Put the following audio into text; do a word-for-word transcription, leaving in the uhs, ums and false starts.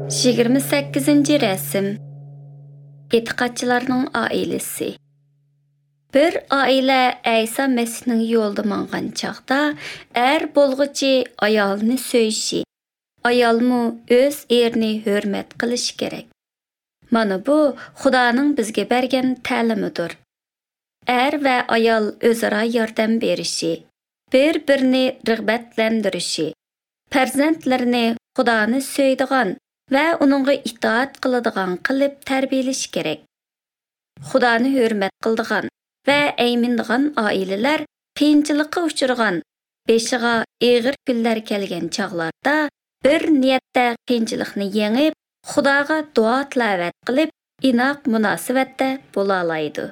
Yigirma sakkizinchi rasm. E'tiqodchilarning oilasi. Bir oila Ayso Masihning yo'lida mangan chog'da er bo'lg'uchi ayolni so'yishi, ayolmu o'z erini hurmat qilishi kerak. Mana bu Xudoning bizga bergan ta'limidir. Er va ayol o'zaro yordam berishi, bir-birini rag'batlantirishi, farzandlarini Xudoni so'ydigan va uningga itoat qiladigan qilib tarbiyalash kerak. Xudoni hurmat qildigan va aymindigan oilalar qiyinchilikqa uchragan, beshiga og'ir kunlar kelgan chog'larda bir niyatda qiyinchilikni yengib, Xudoga duo tilovat qilib, inoq munosabatda bo'la oladi.